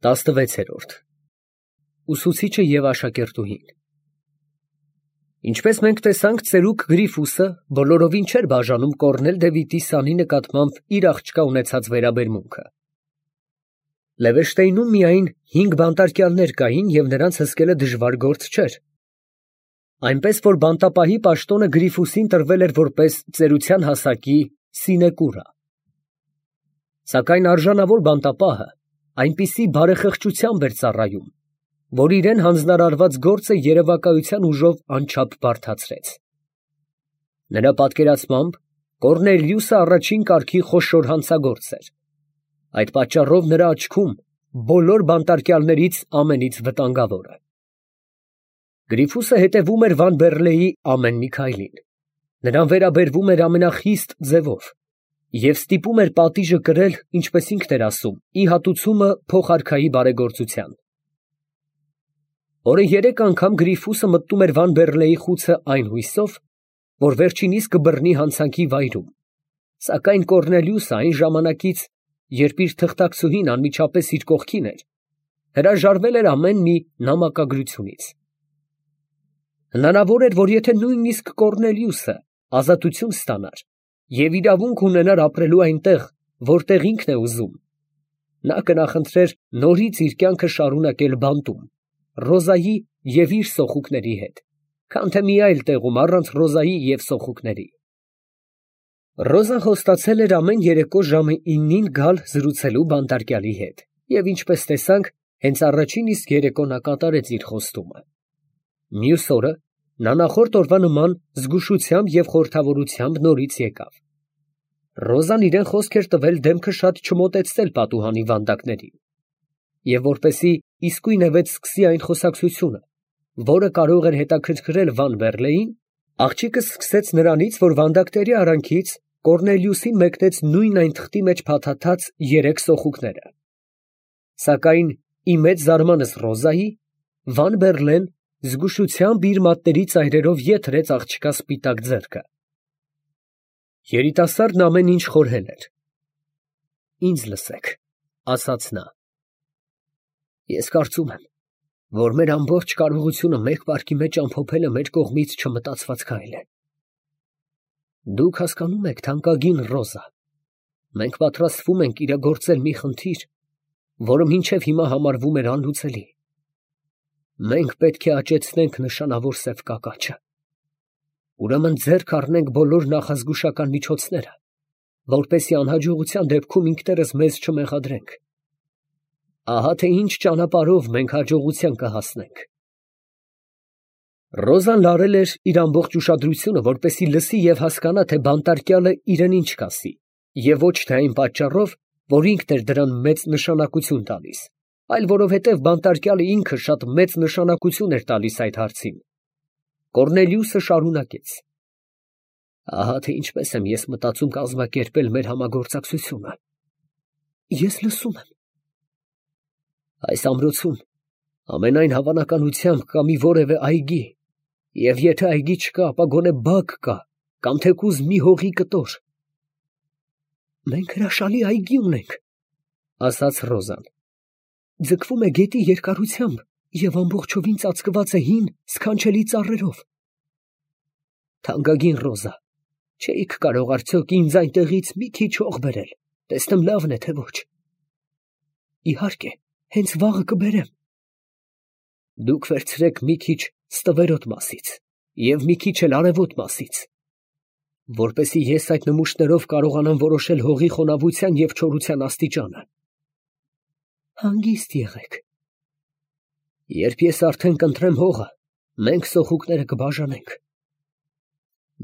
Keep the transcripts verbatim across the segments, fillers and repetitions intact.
տասնվեցերորդ Ուսուցիչը և աշակերտուհին Ինչպես մենք տեսանք, ծերուկ Գրիֆուսը բոլորովին չէր բաժանում Կոռնել Դևիդի սանի նկատմամբ իր աղջկա ունեցած վերաբերմունքը։ Լևեշտեյնում միայն հինգ բանտարկյալներ կային և նրանց հսկելը դժվար գործ չէր, այնպես որ բանտապահի պաշտոնը Գրիֆուսին տրվել էր որպես ծերության հասակի սինեկուրա։ Սակայն արժանավոր բանտապահը այնպիսի բարեխղճությամբ էր ծառայում, որ իրան հանձնարարված գործը երևակայության ուժով անչափ բարդացրեց։ Նրա պատկերացմամբ Կոռնելիուսը առաջին կարգի խոշոր հանցագործ էր։ Այդ պատճառով նրա աչքում բոլոր բանտարկյալներից ամենից վտանգավորը։ Գրիֆուսը հետևում էր Վանբեռլեի ամեն մի քայլին, նրան վերաբերվում էր ամենախիստ ձևով և ստիպում էր պատիժը կրել, ինչպես ինքն էր ասում, ի հատուցումը փոխարքայի բարեգործության։ Օրը երեք անգամ Գրիֆուսը մտնում էր Վանբեռլեի խուցը այն հույսով, որ վերջինիս կբռնի հանցանքի վայրում, սակայն Կոռնելիուսը այն ժամանակից, երբ իր թղթակցուհին անմիջապես իր կողքին էր, հրաժարվել էր ամեն մի նամակագրությունից։ Հնարավոր էր, որ եթե նույնիսկ Կոռնելիուսը ազատություն ստանար և իրավունք ունենար ապրելու այնտեղ, որտեղ ինքն է ուզում, նա կնախընտրեր նորից իր կյանքը շարունակել բանտում, Ռոզայի և իր սոխուկների հետ, քան թե մի այլ տեղում առանց Ռոզայի և սոխուկների։ Ռոզան խոստացել էր ամեն երեկո ժամը իննին գալ զրուցելու բանտարկյալի հետ, և ինչպես տեսանք, հենց առաջին իսկ երեկո նա կատարեց իր խոստումը։ Մյուս օրը նա նախորդ օրվա նման զգուշությամբ և խորհրդավորությամբ նորից եկավ։ Ռոզան իրան խոսք էր տվել դեմքը շատ չմոտեցնել պատուհանի վանդակներին, և որպեսզի իսկույնևեթ սկսի այն խոսակցությունը, որը կարող էր հետաքրքրել Վանբեռլեին, աղջիկը սկսեց նրանից, որ վանդակների արանքից Կոռնելիուսին մեկնեց նույն այն թղթի մեջ փաթաթած երեք սոխուկները։ Սակայն ի մեծ զարմանս Ռոզայի, Վանբեռլեն զգուշությամբ իր մատների ծայրերով ետ հրեց աղջկա սպիտակ ձեռքը։ Երիտասարդն ամեն ինչ խորհել էր։ «Ինձ լսեք, ֊ ասաց նա, ֊ ես կարծում եմ, որ մեր ամբողջ կարողությունը մեկ վայրկի մեջ ամփոփելը մեր կողմից չմտածված քայլ է։ Դուք հասկանում եք, թանկագին Ռոզա, մենք պատրաստվում ենք իրագործել մի խնդիր, որը մինչև հիմա համարվում էր անլուծելի։ Մենք պետք է աճեցնենք նշանավոր սև կակաչը։ Ուրեմն ձեռք առնենք բոլոր նախազգուշական միջոցները, որպեսզի անհաջողության դեպքում ինքներս մեզ չմեղադրենք։ Ահա թե ինչ ճանապարհով մենք հաջողության կհասնենք»։ Ռոզան լարել էր իր ամբողջ ուշադրությունը, որպեսզի լսի և հասկանա, թե բանտարկյալը իրան ինչ կասի, և ոչ թե այն պատճառով, որ ինքն էր դրան մեծ նշանակություն տալիս, այլ որովհետև բանտարկյալը ինքը շատ մեծ նշանակություն էր տալիս այդ հարցին։ Կոռնելիուսը շարունակեց. «Ահա թե ինչպես եմ ես մտածում կազմակերպել մեր համագործակցությունը։ Ես լսում եմ։ Այս ամրոցում ամենայն հավանականությամբ կա մի որևէ այգի, և եթե այգի չկա, ապա գոնե բակ կա կամ թեկուզ մի հողի կտոր»։ «Մենք հրաշալի այգի ունենք, ֊ ասաց Ռոզան. ֊ ձգվում է գետի երկարությամբ և ամբողջովին ծածկված է հին սքանչելի ծառերով։ Թանկագին Ռոզա, չէիք կարող արդյոք ինձ այնտեղից մի քիչ հող բերել, տեսնեմ լավն է, թե ոչ։ Իհարկե, հենց վաղը կբերեմ։ Դուք վերցրեք մի քիչ Ստվերոտ մասից և մի քիչ էլ Արևոտ մասից, որպեսզի ես այդ նմուշներով կարողանամ որոշել հողի խոնավության և չորության աստիճանը։ Հանգիստ եղեք։ Երբ ես արդեն կընտրեմ հողը, մենք սոխուկները կբաժանենք։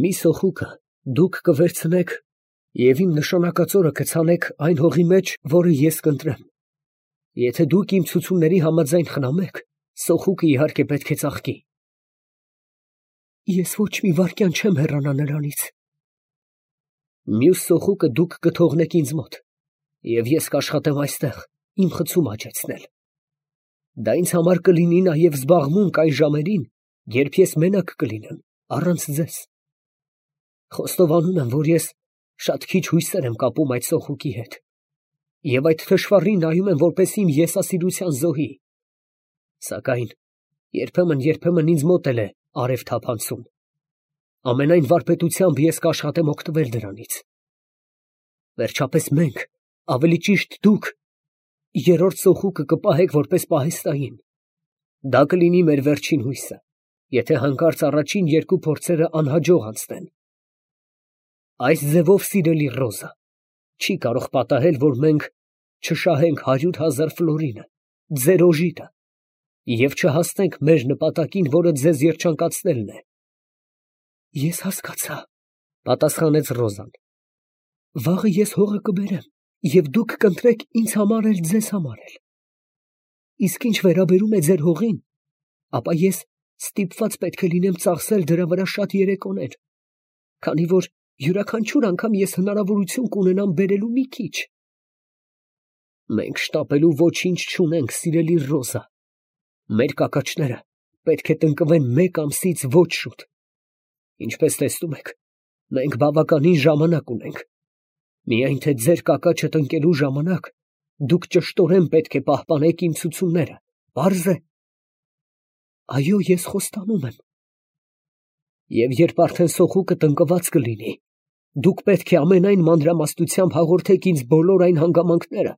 Մի սոխուկը դուք կվերցնեք և իմ նշանակածորը կցանեք այն հողի մեջ, որը ես կընտրեմ։ Եթե դուք իմ ցուցումների համաձայն խնամեք, սոխուկը իհարկե պետք է ծաղկի։ Ես ոչ մի վայրկյան չեմ հեռանա նրանից։ Մյուս սոխուկը դուք կթողնեք ինձ մոտ, և ես կաշխատեմ այստեղ իմ խցումը աճեցնել։ Դա ինձ համար կլինի նաև զբաղմունք այն ժամերին, երբ ես մենակ կլինեմ, առանց ձեզ։ Խոստովանում եմ, որ ես շատ քիչ հույսեր եմ կապում այդ սոխուկի հետ, և այդ թշվառին նայում եմ որպես իմ եսասիրության զոհի։ Սակայն երբեմն, երբեմն ինձ մոտ էլ է արև թափանցում։ Ամենայն վարպետությամբ ես կաշխատեմ օգտվել դրանից։ Վերջապես մենք, ավելի ճիշտ դուք, երրորդ սոխուկը կպահեք որպես պահեստային։ Դա կլինի մեր վերջին հույսը, եթե հանկարծ առաջին երկու փորձերը անհաջող անցնեն։ Այս ձևով, սիրելի Ռոզա, չի կարող պատահել, որ մենք չշահենք հարյուր հազար ֆլորինը, ձեր օժիտը, և չհասնենք մեր նպատակին, որը ձեզ երջանկացնելն է։ Ես հասկացա, պատասխանեց Ռոզան։ Վաղը ես հողը կբերեմ, և դուք կընտրեք ինձ համար էլ, ձեզ համար էլ։ Իսկ ինչ վերաբերում է ձեր հողին, ապա ես ստիպված պետք է լինեմ ծախսել դրա վրա շատ երեկոներ, քանի որ յուրաքանչյուր անգամ ես հնարավորություն կունենամ բերելու մի քիչ։ Մենք շտապելու ոչինչ չունենք, սիրելի Ռոզա։ Մեր կակաչները պետք է տնկվեն մեկ ամսից ոչ շուտ։ Ինչպես տեսնում եք, մենք բավականին ժամանակ ունենք։ Միայն թե ձեր կակաչը տնկելու ժամանակ դուք ճշտորեն պետք է պահպանեք իմ ցուցումները, պարզ է։ Այո, ես խոստանում եմ։ Եվ երբ արդեն սոխուկը տնկված կլինի, դուք պետք է ամենայն մանրամասնությամբ հաղորդեք ինձ բոլոր այն հանգամանքները,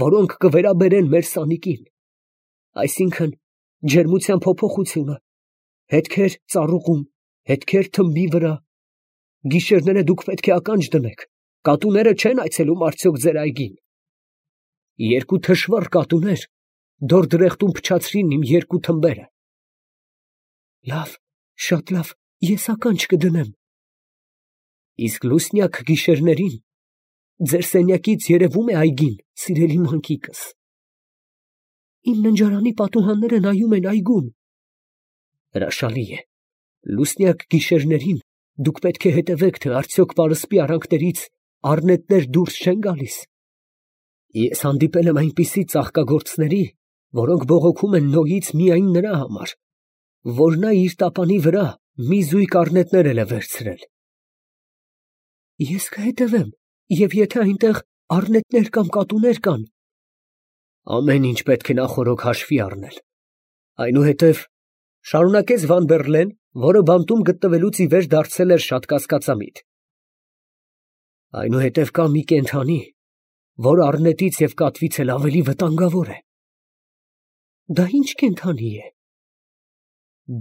որոնք կվերաբերեն մեր սանիկին, այսինքն ջերմության փոփոխությունը, հետքեր ծառուղում, հետքեր թմբի վրա։ Գիշերները դուք պետք է ականջ դնեք, կատուները չեն այցելում արդյոք ձեր այգին։ Երկու թշվառ կատուներ դորդրեխտում փչացրին իմ երկու թմբերը։ Լավ, շատ լավ, ես ականջ կդնեմ։ Իսկ լուսնյակ գիշերներին ձեր սենյակից երևում է այգին, սիրելի մանկիկս։ Իմ ննջարանի պատուհանները նայում են այգուն։ Հրաշալի է։ Լուսնյակ գիշերներին դուք պետք է հետևեք, թե արդյոք պարսպի արանքներից առնետներ դուրս չեն գալիս։ Ես հանդիպել եմ այնպիսի ծաղկագործների, որոնք բողոքում են Նոյից միայն նրա համար, որ նա իր տապանի վրա մի զույգ առնետներ էլ է վերցրել։ Ես կհետևեմ, և եթե այնտեղ առնետներ կամ կատուներ կան, ամեն ինչ պետք է նախօրոք հաշվի առնել։ Այնուհետև, շարունակեց Վան Բեռլեն, որը բանտում գտնվելուց ի վեր դարձել էր շատ կասկածամիտ, այնուհետև կա մի կենդանի, որ առնետից և կատվից էլ ավելի վտանգավոր է։ Դա ի՞նչ կենդանի է։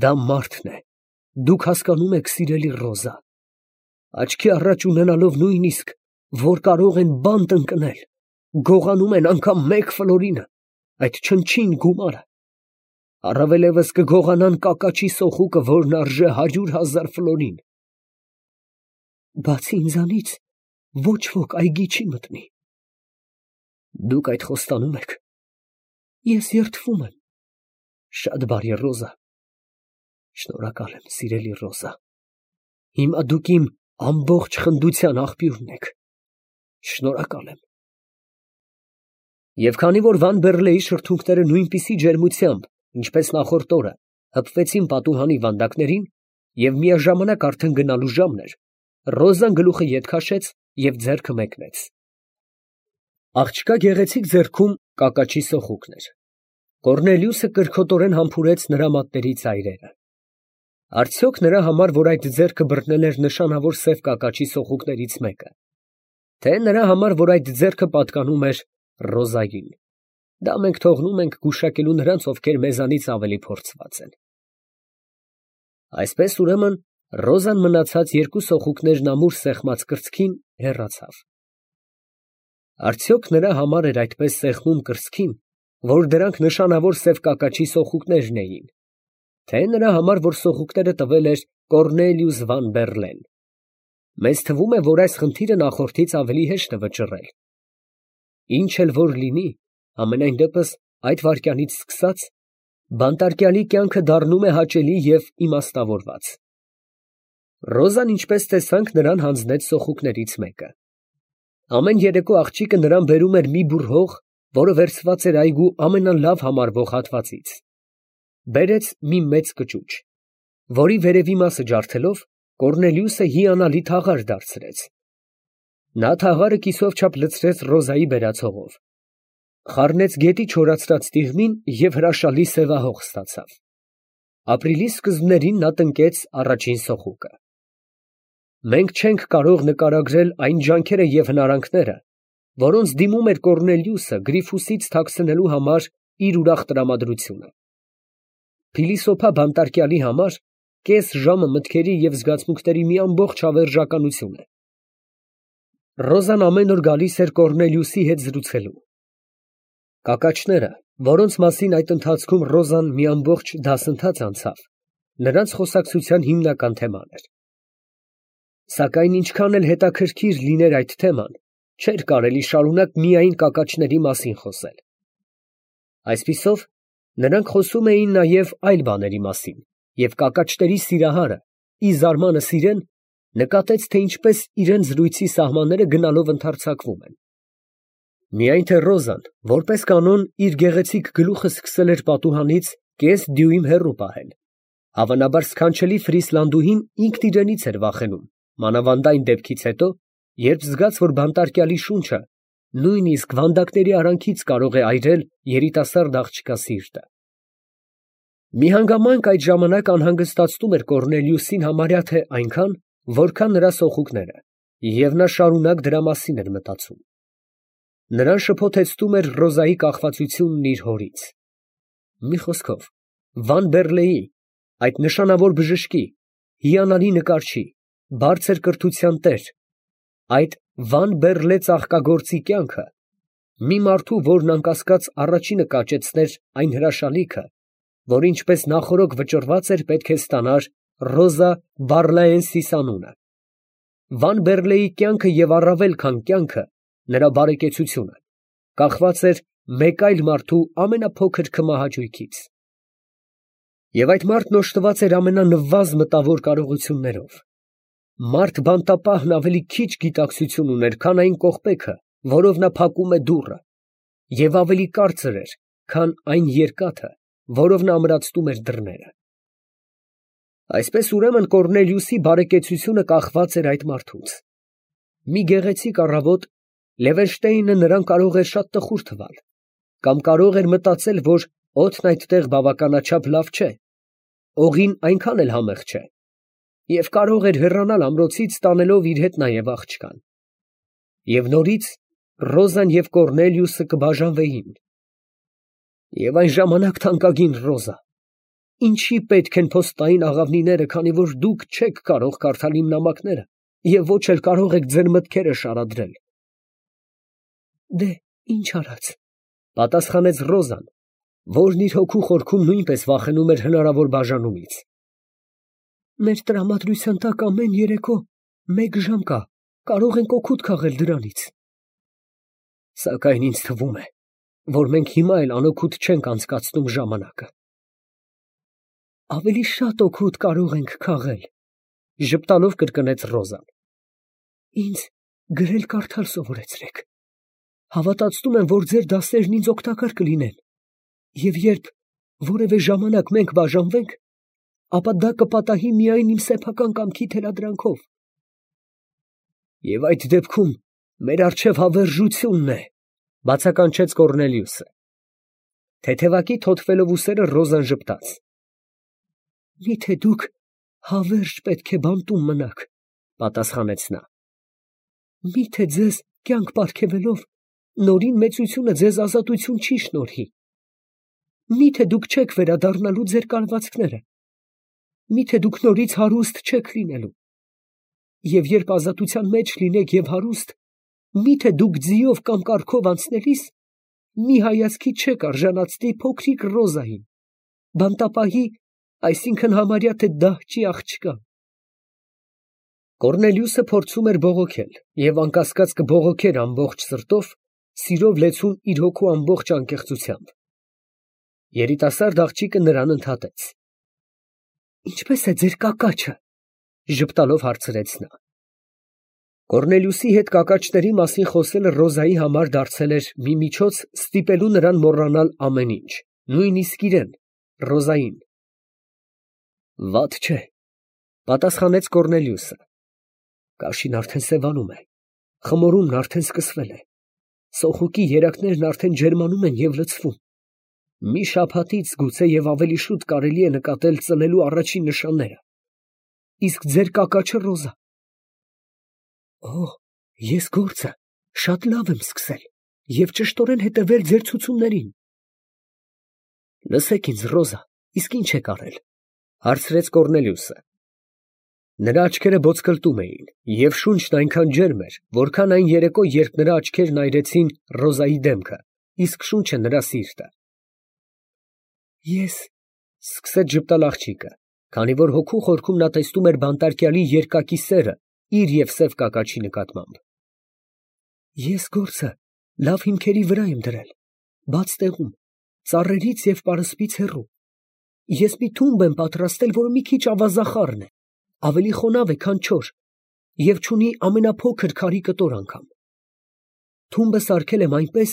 Դա մարդն է, դուք հասկանում եք, սիրելի Ռոզա, աչքի առաջ ունենալով նույնիսկ, որ կարող են բանտ ընկնել, գողանում են անգամ մեկ ֆլորինը, այդ չնչին գումարը, առավելևս կգողանան կակաչի սոխուկը, որն արժե հարյուր հազար ֆլորին։ Բացի ինձանից, ոչ ոք այգի չի մտնի։ Դուք այդ խոստանում եք։ Ես երդվում եմ։ Շատ բարի, Ռոզա։ Շնորհակալ եմ, սիրելի Ռոզա։ Հիմա դուք իմ ամբողջ խնդության աղբյուրն եք։ Շնորհակալ եմ։ Եվ քանի որ Վան Բեռլեի շրթունքները նույնպիսի ջերմությամբ, ինչպես նախորդ օրը, հպվեցին պատուհանի վանդակներին, և միաժամանակ արդեն գնալու ժամն էր, Ռոզան գլուխը ետ քաշեց և ձեռքը մեկնեց։ Աղջկա գեղեցիկ ձեռքում կակաչի սոխուկն էր։ Կոռնելիուսը կրքոտորեն համբուրեց նրա մատների ծայրերը։ Արդյոք նրա համար, որ այդ ձեռքը բռնել էր նշանավոր սև կակաչի սոխուկներից մեկը, թե նրա համար, որ այդ ձեռքը պատկանում էր Ռոզային, դա մենք թողնում ենք գուշակելու նրանց, ովքեր մեզանից ավելի փորձված են։ Այսպես ուրեմն Ռոզան մնացած երկու սոխուկներն ամուր սեղմած կրծքին հեռացավ։ Արդյոք նրա համար էր այդպես սեղմում կրծքին, որ դրանք նշանավոր սև կակաչի սոխուկներն էին, թե նրա համար, որ սոխուկները տվել էր Կոռնելիուս Վան Բեռլեն։ Մեզ թվում է, որ այս խնդիրը նախորդից ավելի հեշտ է վճռել։ Ինչ էլ որ լինի, ամենայն դեպս այդ վայրկյանից սկսած, բանտարկյալի կյանքը դառնում է հաճելի և իմաստավորված։ Ռոզան, ինչպես տեսանք, նրան հանձնեց սոխուկներից մեկը։ Ամեն երեկո աղջիկը նրան բերում էր մի բուռ հող, որը վերցված էր այգու ամենալավ համարվող հատվածից։ Բերեց մի մեծ կճուճ, որի վերևի մասը ջարդելով, Կոռնելիուսը հիանալի թաղար դարձրեց։ Նա թաղարը կիսով չափ լցրեց Ռոզայի բերացողով, խառնեց գետի չորացրած տիղմին և հրաշալի սևահող ստացավ։ Ապրիլի սկզբներին նա տնկեց առաջին սոխուկը։ Մենք չենք կարող նկարագրել այն ջանքերը և հնարանքները, որոնց դիմում էր Կոռնելիուսը Գրիֆուսից թաքցնելու համար իր ուրախ տրամադրությունը։ Փիլիսոփա բանտարկյալի համար կես ժամը մտքերի և զգացմունքների մի ամբողջ հավերժականություն է։ Ռոզան ամեն օր գալիս էր Կոռնելիուսի հետ զրուցելու։ Կակաչները, որոնց մասին այդ ընթացքում Ռոզան մի ամբողջ դասընթաց անցավ, նրանց խոսակցության հիմնական թեման էր։ Սակայն ինչքան էլ հետաքրքիր լիներ այդ թեման, չէր կարելի շարունակ միայն կակաչների մասին խոսել։ Այսպիսով, նրանք խոսում էին նաև այլ բաների մասին, և կակաչների սիրահարը, ի զարմանս իրեն, նկատեց, թե ինչպես իրան զրույցի սահմանները գնալով ընդարձակվում են։ Միայն թե Ռոզան, որպես կանոն, իր գեղեցիկ գլուխը սկսել էր պատուհանից կես դյույմ հեռու պահել, հավանաբար սքանչելի Ֆրիսլանդուհին ինքն իրենից էր վախենում, մանավանդ այն դեպքից հետո, երբ զգաց, որ բանտարկյալի շունչը նույնիսկ վանդակների արանքից կարող է այրել երիտասարդ աղջկա սիրտը։ Մի հանգամանք այդ ժամանակ անհանգստացնում էր Կոռնելիուսին համարյա թե այնքան, որքան նրա սոխուկները, և նա շարունակ դրա մասին էր մտածում։ Նրան շփոթեցնում էր Ռոզայի կախվածությունն իր հորից։ Մի խոսքով, Վան Բեռլեի, այդ նշանավոր բժշկի, հիանալի նկարչի, բարձր կրթության տեր, այդ Վան Բեռլե ծաղկագործի կյանքը մի մարդու, որն անկասկած առաջինը կաճեցներ այն հրաշալիքը, որ ինչպես նախօրոք վճռված էր պետք է ստանար Ռոզա Բարլաենսիս անունը։ Վան Բեռլեի կյանքը և առավել քան կյանքը, նրա բարեկեցությունը, կախված էր մեկ այլ մարդու ամենափոքր քմահաճույքից։ Եվ այդ մարդն օժտված էր ամենանվազ մտավոր կարողություններով։ Մարդ բանտապահն ավելի քիչ գիտակցություն ուներ, քան այն կողպեքը, որով նա փակում է դուռը, և ավելի կարծր էր, քան այն երկաթը, որով նա ամրացնում էր դռները։ Այսպես ուրեմն Կոռնելիուսի բարեկեցությունը կախված էր այդ մարդուց։ Մի գեղեցիկ առավոտ Լևենշտեյնը նրան կարող էր շատ տխուր թվալ, կամ կարող էր մտածել, որ օդն այդտեղ բավականաչափ լավ չէ, օղին այնքան էլ համեղ չէ, և կարող էր հեռանալ ամրոցից, տանելով իր հետ նաև աղջկան։ Եվ նորից Ռոզան և Կոռնելիուսը կբաժանվեին։ Եվ այն ժամանակ, թանկագին Ռոզա, ինչի պետք են փոստային աղավնիները, քանի որ դուք չեք կարող կարդալ իմ նամակները և ոչ էլ կարող եք ձեր մտքերը շարադրել։ Դե, ինչ արած, պատասխանեց Ռոզան, որն իր հոգու խորքում նույնպես վախենում էր հնարավոր բաժանումից։ Մեր տրամադրության տակ ամեն երեկո մեկ ժամ կա, կարող ենք օգուտ քաղել դրանից։ Սակայն ինձ թվում է, որ մենք հիմա էլ անօգուտ չենք անցկացնում ժամանակը։ Ավելի շատ օգուտ կարող ենք քաղել, ժպտալով կրկնեց Ռոզան։ Ինձ գրել կարդալ սովորեցրեք։ Հավատացնում եմ, որ ձեր դասերն ինձ օգտակար կլինեն, և երբ որևէ ժամանակ մենք բաժանվենք, ապա դա կպատահի միայն իմ սեփական կամքի թելադրանքով։ Եվ այդ դեպքում մեր առջև հավերժությունն է, բացականչեց Կոռնելիուսը։ Թեթևակի թոթվելով ուսերը Ռոզան ժպտաց։ Միթե դուք հավերժ պետք է բանտում մնաք, պատասխանեց նա։ Միթե ձեզ կյանք պարգևելով, նորին մեծությունը ձեզ ազատություն չի շնորհի։ Միթե դուք չեք վերադառնալու ձեր կալվածքները։ Միթե դուք նորից հարուստ չեք լինելու։ Եվ երբ ազատության մեջ լինեք և հարուստ, միթե դուք ձիով կամ կառքով անցնելիս մի հայացքի չեք արժանացնի փոքրիկ Ռոզային, բանտապահի, այսինքն համարյա թե դահճի աղջկան։ Կոռնելիուսը փորձում էր բողոքել և անկասկած կբողոքեր ամբողջ սրտով, սիրով լեցուն իր հոգու ամբողջ անկեղծությամբ։ Երիտասարդ աղջիկը նրան ընդհատեց։ Ինչպե՞ս է ձեր կակաչը, ժպտալով հարցրեց նա։ Կոռնելիուսի հետ կակաչների մասին խոսելը Ռոզայի համար դարձել էր մի միջոց ստիպելու նրան մոռանալ ամեն ինչ, նույնիսկ իրեն, Ռոզային։ Վատ չէ, պատասխանեց Կոռնելիուսը։ Կաշին արդեն սևանում է, Խմորումն արդեն սկսվել է։ Սոխուկի երակներն արդեն ջերմանում են և լցվում։ Մի շաբաթից գուցե և ավելի շուտ կարելի է նկատել ծնելու առաջին նշանները։ Իսկ ձեր կակաչը Ռոզա։ Օ, ես գործը շատ լավ եմ սկսել և ճշտորեն հետևել ձեր ցուցումներին։ Լսեք ինձ, Ռոզա, իսկ ի՞նչ եք արել, հարցրեց Կոռնելիուսը։ Նրա աչքերը ոսկլտում էին, և շունչն այնքան ջերմ էր, որքան այն երեկո, երբ նրա աչքերն այրեցին Ռոզայի դեմքը, իսկ շունչը նրա սիրտը։ Ես… ֊ սկսեց ժպտալ աղջիկը, քանի որ հոգու խորքում նա տեսնում էր բանտարկյալի երկակի սերը իր և սև կակաչի նկատմամբ։ Ես գործը լավ հիմքերի վրա եմ դրել, բաց տեղում, ծառերից և պարսպից հեռու։ Ես մի թումբ եմ պատրաստել, որը մի քիչ ավազախառն է, ավելի խոնավ է, քան չոր, և չունի ամենափոքր քարի կտոր անգամ։ Թումբը սարքել եմ այնպես,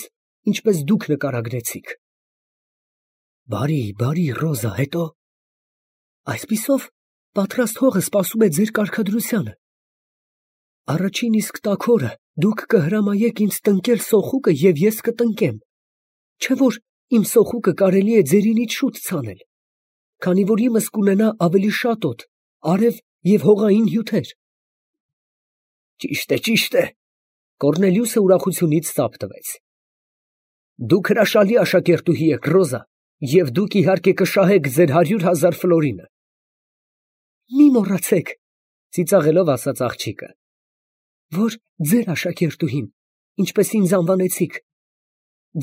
ինչպես դուք նկարագրեցիք։ Բարի, բարի, Ռոզա, հետո… Այսպիսով, պատրաստ հողը սպասում է ձեր կարգադրությանը։ Առաջին իսկ տաք օրը դուք կհրամայեք ինձ տնկել սոխուկը և ես կտնկեմ, չէ՞ որ իմ սոխուկը կարելի է ձերինից շուտ ցանել, քանի որ իմս կունենա ավելի շատ օդ, արև և հողային հյութեր։ Ճիշտ է, ճիշտ է… Կոռնելիուսը ուրախությունից ծափ տվեց։ Դուք հրաշալի աշակերտուհի եք, Ռոզա, և դուք, իհարկե, կշահեք ձեր հարյուր հազար ֆլորինը։ Մի մոռացեք, ծիծաղելով ասաց աղջիկը, որ ձեր աշակերտուհին, ինչպես ինձ անվանեցիք,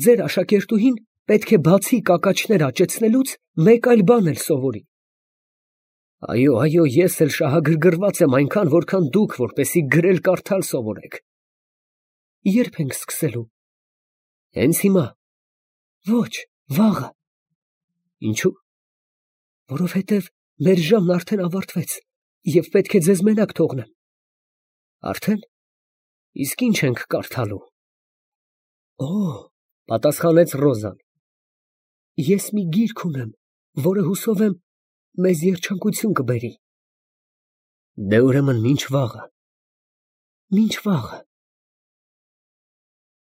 ձեր աշակերտուհին պետք է բացի կակաչներ աճեցնելուց, մեկ այլ բան էլ սովորի։ Այո, այո, ես էլ շահագրգռված եմ այնքան, որքան դուք, որպեսզի գրել֊կարդալ սովորեք։ Ե՞րբ ենք սկսելու։ Հենց հիմա։ Ոչ, վաղը։ Ինչո՞ւ։ Որովհետև մեր ժամն արդեն ավարտվեց, և պետք է ձեզ մենակ թողնեմ։ Արդեն։ Իսկ ի՞նչ ենք կարդալու։ Օ, պատասխանեց Ռոզան, ես մի գիրք ունեմ, որը, հուսով եմ, մեզ երջանկություն կբերի։ Դե, ուրեմն, մինչ վաղը։ Մինչ վաղը։